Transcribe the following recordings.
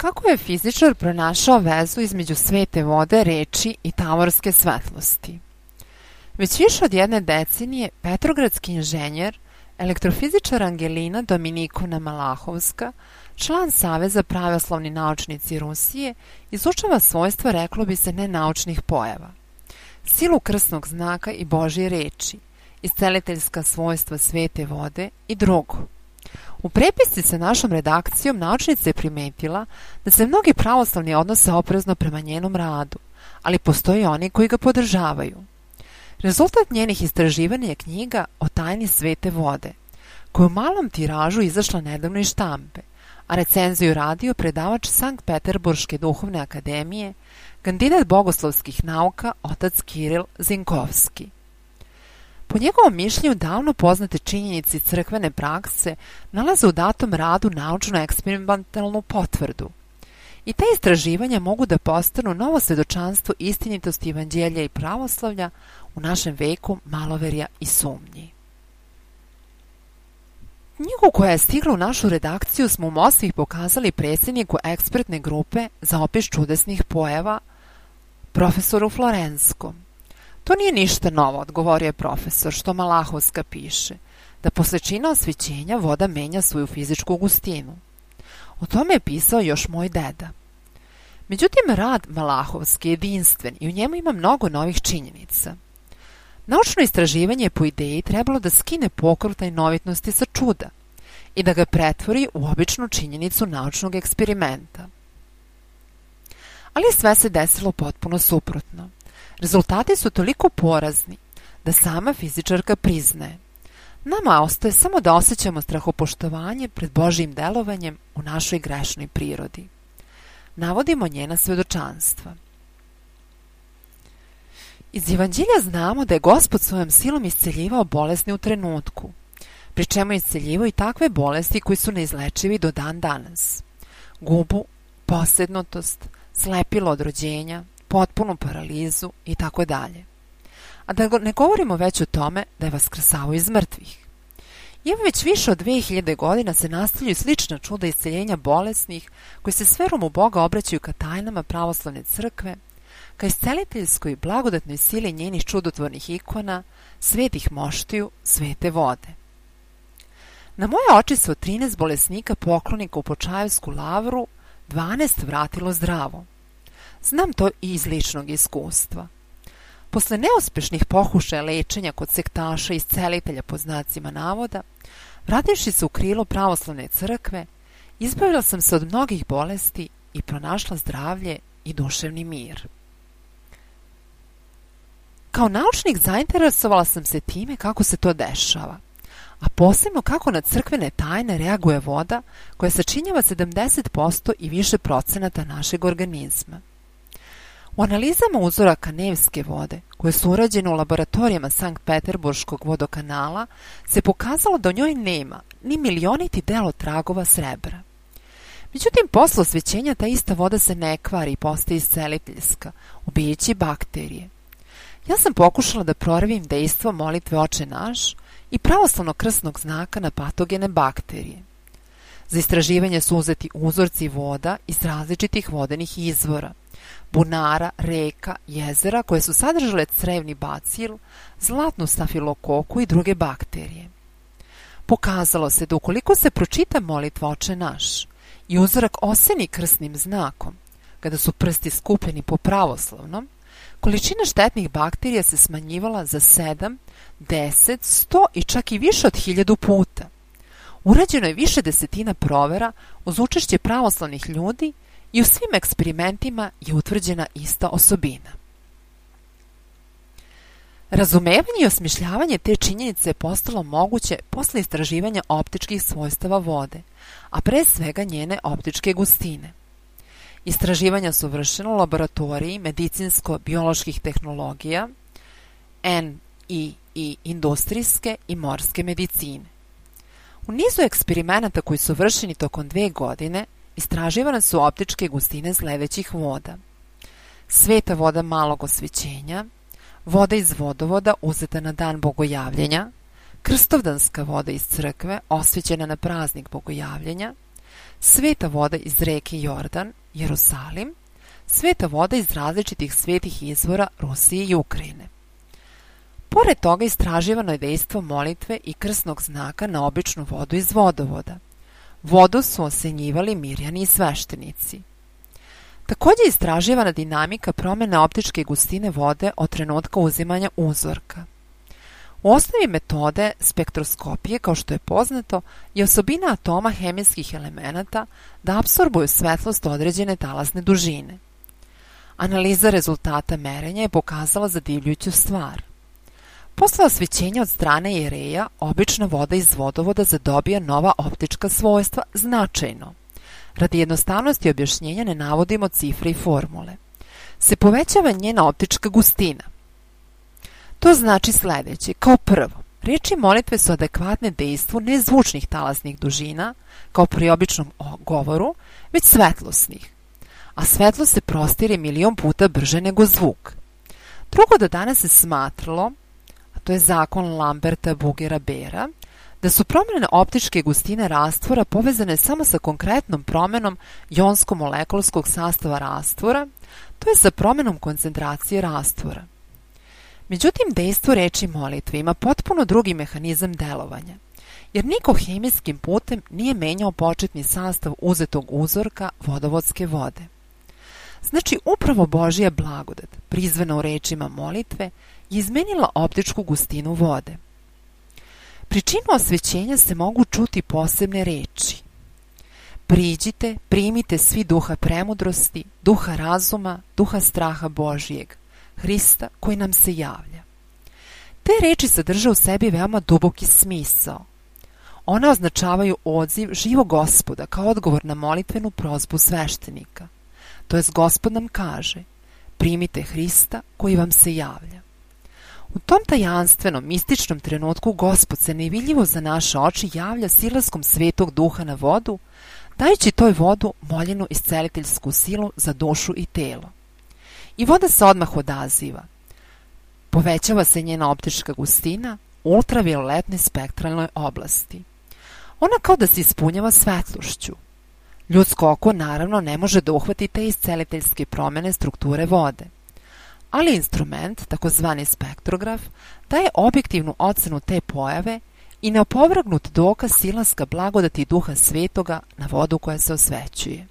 Kako je fizičar pronašao vezu između svete vode, reči i tavorske svetlosti? Već više od jedne decenije petrogradski inženjer, elektrofizičar Angelina Dominikona Malahovska, član Saveza pravoslavni naučnici Rusije, izučava svojstva, reklo bi se, nenaučnih pojava, silu krsnog znaka i Božje reči, isceliteljska svojstva svete vode i drugo. U prepisci sa našom redakcijom naučnica je primetila da se mnogi pravoslavni odnose oprezno prema njenom radu, ali postoji oni koji ga podržavaju. Rezultat njenih istraživanja je knjiga o tajni svete vode, koja je u malom tiražu izašla nedavno iz štampe, a recenziju radio predavač Sankt Peterburške duhovne akademije, kandidat bogoslovskih nauka otac Kiril Zinkovski. Po njegovom mišljenju davno poznate činjenice crkvene prakse nalaze u datom radu naučno-eksperimentalnu potvrdu. I te istraživanja mogu da postanu novo svedočanstvo istinitosti evanđelja i pravoslavlja u našem veku maloverja i sumnji. Knjigu koja je stigla u našu redakciju smo u Moskvi pokazali predsjedniku ekspertne grupe za opis čudesnih pojava, profesoru Florenskom. To nije ništa novo, odgovorio je profesor, što Malahovska piše, da posle čina osvećenja voda menja svoju fizičku gustinu. O tome je pisao još moj deda. Međutim, rad Malahovski je jedinstven i u njemu ima mnogo novih činjenica. Naučno istraživanje je po ideji trebalo da skine pokrov tajnovitnosti sa čuda i da ga pretvori u običnu činjenicu naučnog eksperimenta. Ali sve se desilo potpuno suprotno. Rezultati su toliko porazni da sama fizičarka priznaje. Nama ostaje samo da osjećamo strahopoštovanje pred Božjim delovanjem u našoj grešnoj prirodi. Navodimo njena svedočanstva. Iz evanđelja znamo da je Gospod svojom silom isceljivao bolesne u trenutku, pri čemu je isceljivao i takve bolesti koji su neizlečivi do dan danas. Gubu, posednutost, slepilo od rođenja, potpunu paralizu i tako dalje. A da ne govorimo već o tome da je vaskrsavao iz mrtvih. I evo već više od 2000 godina se nastavljaju slična čuda isceljenja bolesnih koji se s verom u Boga obraćaju ka tajnama pravoslavne crkve, ka isceliteljskoj i blagodatnoj sili njenih čudotvornih ikona, svetih moštiju, svete vode. Na moje oči se od 13 bolesnika poklonika u Počajevsku lavru 12 vratilo zdravo. Znam to i iz ličnog iskustva. Posle neuspešnih pokušaja lečenja kod sektaša i iscelitelja po znacima navoda, vrativši se u krilo pravoslavne crkve, izbavila sam se od mnogih bolesti i pronašla zdravlje i duševni mir. Kao naučnik zainteresovala sam se time kako se to dešava, a posebno kako na crkvene tajne reaguje voda koja sačinjava 70% i više procenata našeg organizma. U analizama uzoraka Nevske vode, koje su urađene u laboratorijama Sankt Peterburškog vodokanala, se pokazalo da u njoj nema ni milioniti delo tragova srebra. Međutim, posle osvećenja ta ista voda se ne kvari i postaje isceliteljska, ubijajući bakterije. Ja sam pokušala da proverim dejstvo molitve Oče naš i pravoslavnog krstnog znaka na patogene bakterije. Za istraživanje su uzeti uzorci voda iz različitih vodenih izvora, bunara, reka, jezera koje su sadržale crevni bacil, zlatnu stafilokoku i druge bakterije. Pokazalo se da ukoliko se pročita molitva Oče naš i uzorak oseni krstnim znakom, kada su prsti skupljeni po pravoslavnom, količina štetnih bakterija se smanjivala za 7, 10, 100 i čak i više od 1000 puta. Urađeno je više desetina provera uz učešće pravoslavnih ljudi i u svim eksperimentima je utvrđena ista osobina. Razumevanje i osmišljavanje te činjenice je postalo moguće posle istraživanja optičkih svojstava vode, a pre svega njene optičke gustine. Istraživanja su vršena u laboratoriji medicinsko-bioloških tehnologija, i industrijske i morske medicine. U nizu eksperimenata koji su vršeni tokom 2 godine, istraživane su optičke gustine sledećih voda: sveta voda malog osvećenja, voda iz vodovoda uzeta na dan bogojavljenja, krstovdanska voda iz crkve osvećena na praznik bogojavljenja sveta voda iz reke Jordan, Jerusalim, sveta voda iz različitih svetih izvora Rusije i Ukrajine. Pored toga istraživano je dejstvo molitve i krsnog znaka na običnu vodu iz vodovoda. Vodu su osenjivali Mirjani i sveštenici. Takođe je istraživana dinamika promene optičke gustine vode od trenutka uzimanja uzorka. U osnovi metode spektroskopije, kao što je poznato, je osobina atoma hemijskih elemenata da apsorbuju svetlost određene talasne dužine. Analiza rezultata merenja je pokazala zadivljujuću stvar. Posle osvećenja od strane Jereja, obična voda iz vodovoda zadobija nova optička svojstva značajno. Radi jednostavnosti objašnjenja ne navodimo cifre i formule. Se povećava njena optička gustina. To znači sledeće. Kao prvo, reči molitve su adekvatne dejstvu ne zvučnih talasnih dužina, kao pri običnom govoru, već svetlosnih. A svetlost se prostire milion puta brže nego zvuk. Drugo, do danas se smatralo, a to je zakon Lamberta Bugera Bera, da su promjene optičke gustine rastvora povezane samo sa konkretnom promenom jonsko-molekulskog sastava rastvora, to je sa promenom koncentracije rastvora. Međutim, dejstvo reči molitve ima potpuno drugi mehanizam delovanja, jer niko hemijskim putem nije menjao početni sastav uzetog uzorka vodovodske vode. Znači, upravo Božja blagodat, prizvana u rečima molitve, je izmenila optičku gustinu vode. Pri činu osvećenja se mogu čuti posebne reči. Priđite, primite svi duha premudrosti, duha razuma, duha straha Božijeg, Hrista koji nam se javlja. Te reči sadrže u sebi veoma duboki smisao. One označavaju odziv živog Gospoda kao odgovor na molitvenu prozbu sveštenika. To jest Gospod nam kaže, primite Hrista koji vam se javlja. U tom tajanstvenom, mističnom trenutku Gospod se nevidljivo za naše oči javlja silaskom svetog duha na vodu, dajući toj vodu moljenu isceliteljsku silu za dušu i telo. I voda se odmah odaziva. Povećava se njena optička gustina u ultravioletnoj spektralnoj oblasti. Ona kao da se ispunjava svetlošću. Ljudsko oko naravno ne može da uhvati te isceliteljske promene strukture vode. Ali instrument, takozvani spektrograf, daje objektivnu ocenu te pojave i neopovrgnut dokaz silaska blagodati duha svetoga na vodu koja se osvećuje.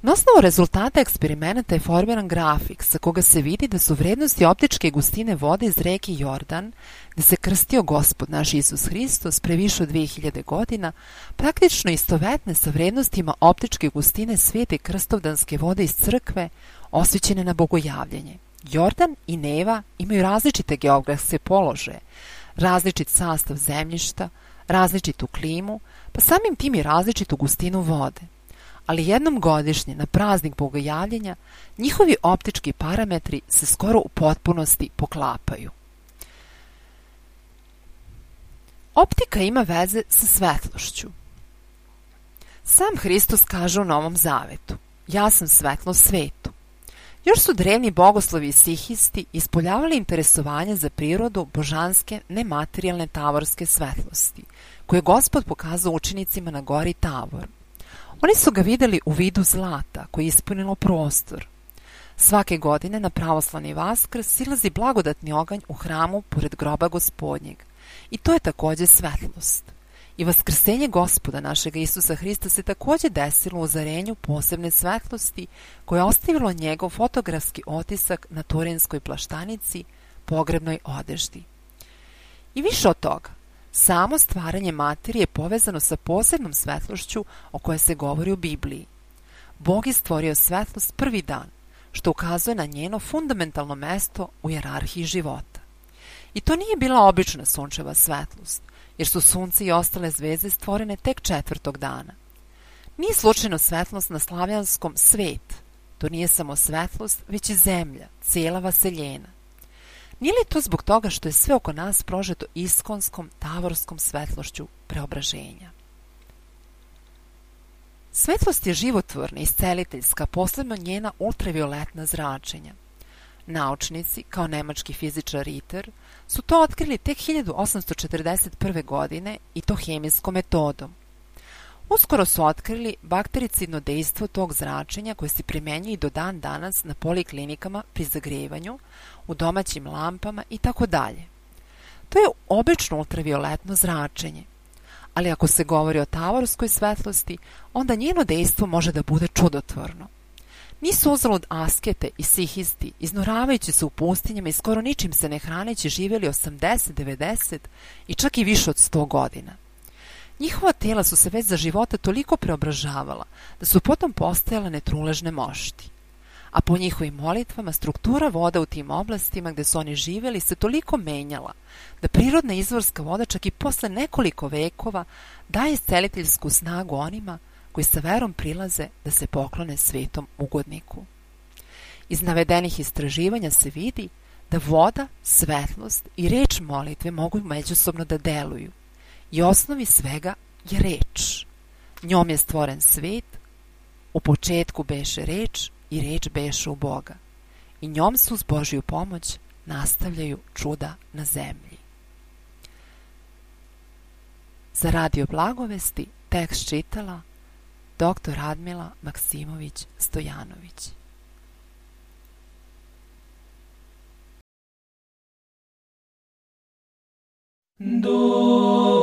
Na osnovu rezultata eksperimenata je formiran grafik sa koga se vidi da su vrednosti optičke gustine vode iz reke Jordan, gde se krstio Gospod naš Isus Hristos pre više od 2000 godina, praktično istovetne sa vrednostima optičke gustine svete krstovdanske vode iz crkve, osvećene na bogojavljanje. Jordan i Neva imaju različite geografske položaje, različit sastav zemljišta, različitu klimu, pa samim tim i različitu gustinu vode. Ali jednom godišnje, na praznik bogojavljenja, njihovi optički parametri se skoro u potpunosti poklapaju. Optika ima veze sa svetlošću. Sam Hristos kaže u Novom Zavetu, ja sam svetlost svetu. Još su drevni bogoslovi i sihisti ispoljavali interesovanje za prirodu božanske, nematerijalne tavorske svetlosti, koje je Gospod pokazao učenicima na gori Tavor. Oni su ga videli u vidu zlata koje je ispunilo prostor. Svake godine na pravoslavni Vaskrs silazi blagodatni oganj u hramu pored groba Gospodnjeg. I to je takođe svetlost. I vaskrsenje Gospoda našega Isusa Hrista se takođe desilo u ozarenju posebne svetlosti koje je ostavilo njegov fotografski otisak na turinskoj plaštanici, pogrebnoj odeždi. I više od toga, samo stvaranje materije je povezano sa posebnom svetlošću o kojoj se govori u Bibliji. Bog je stvorio svetlost prvi dan, što ukazuje na njeno fundamentalno mesto u hijerarhiji života. I to nije bila obična sunčeva svetlost, jer su sunce i ostale zvezde stvorene tek 4. dana. Nije slučajno svetlost na slavjanskom svet. To nije samo svetlost, već i zemlja, cijela vaseljena. Nije li to zbog toga što je sve oko nas prožeto iskonskom, tavorskom svetlošću preobraženja? Svetlost je životvorna, isceliteljska, posebno njena ultravioletna zračenja. Naučnici, kao nemački fizičar Ritter, su to otkrili tek 1841. godine i to hemijskom metodom. Uskoro su otkrili baktericidno dejstvo tog zračenja koje se primenjuje i do dan danas na poliklinikama pri zagrevanju, u domaćim lampama itd. To je obično ultravioletno zračenje, ali ako se govori o tavorskoj svetlosti, onda njeno dejstvo može da bude čudotvorno. Nisu uzalud askete i sihisti, iznoravajući se u pustinjama i skoro ničim se ne hraneći, živjeli 80, 90 i čak i više od 100 godina. Njihova tela su se već za života toliko preobražavala da su potom postajale netruležne mošti. A po njihovim molitvama struktura voda u tim oblastima gde su oni živjeli se toliko menjala da prirodna izvorska voda čak i posle nekoliko vekova daje isceliteljsku snagu onima koji sa verom prilaze da se poklone svetom ugodniku. Iz navedenih istraživanja se vidi da voda, svetlost i reč molitve mogu međusobno da deluju i osnovi svega je reč. Njom je stvoren svet, u početku beše reč i reč beše u Boga i njom se uz Božju pomoć nastavljaju čuda na zemlji. Za Radio Blagovesti tekst čitala dr. Radmila Maksimović Stojanović. Do